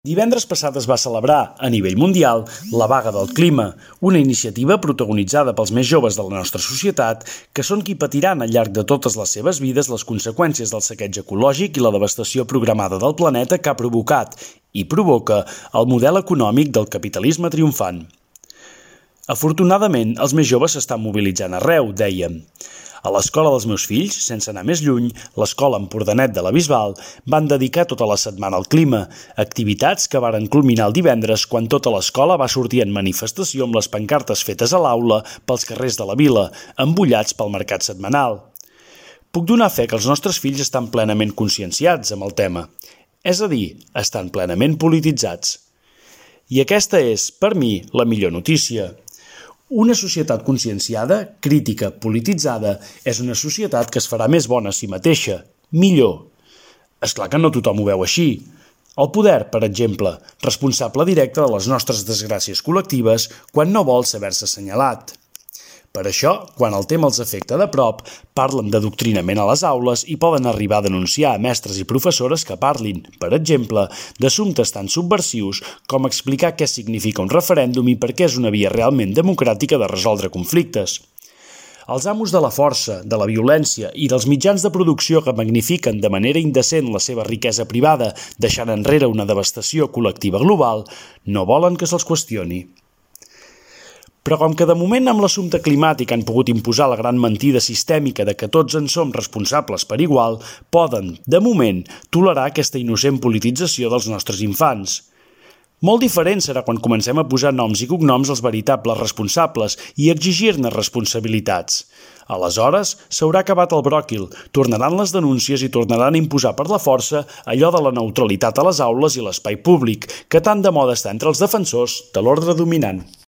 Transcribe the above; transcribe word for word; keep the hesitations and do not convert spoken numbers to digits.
Divendres passat es va celebrar, a nivell mundial, la Vaga del Clima, una iniciativa protagonitzada pels més joves de la nostra societat, que són qui patiran al llarg de totes les seves vides les conseqüències del saqueig ecològic i la devastació programada del planeta que ha provocat i provoca el model econòmic del capitalisme triomfant. Afortunadament, els més joves s'estan mobilitzant arreu, dèiem. A l'escola dels meus fills, sense anar més lluny, l'escola Empordanet de la Bisbal, van dedicar tota la setmana al clima, activitats que varen culminar el divendres quan tota l'escola va sortir en manifestació amb les pancartes fetes a l'aula pels carrers de la vila, embullats pel mercat setmanal. Puc donar fe que els nostres fills estan plenament conscienciats amb el tema, és a dir, estan plenament polititzats. I aquesta és, per mi, la millor notícia. Una societat conscienciada, crítica, polititzada, és una societat que es farà més bona a si mateixa, millor. És clar que no tothom ho veu així. El poder, per exemple, responsable directe de les nostres desgràcies col·lectives quan no vol saber-se assenyalat. Per això, quan el tema els afecta de prop, parlen d'adoctrinament a les aules i poden arribar a denunciar a mestres i professores que parlin, per exemple, d'assumptes tan subversius com explicar què significa un referèndum i per què és una via realment democràtica de resoldre conflictes. Els amos de la força, de la violència i dels mitjans de producció que magnifiquen de manera indecent la seva riquesa privada, deixant enrere una devastació col·lectiva global, no volen que se'ls qüestioni. Però com que de moment amb l'assumpte climàtic han pogut imposar la gran mentida sistèmica de que tots en som responsables per igual, poden, de moment, tolerar aquesta innocent politització dels nostres infants. Molt diferent serà quan comencem a posar noms i cognoms als veritables responsables i exigir-ne responsabilitats. Aleshores, s'haurà acabat el bròquil, tornaran les denúncies i tornaran a imposar per la força allò de la neutralitat a les aules i l'espai públic, que tant de moda està entre els defensors de l'ordre dominant.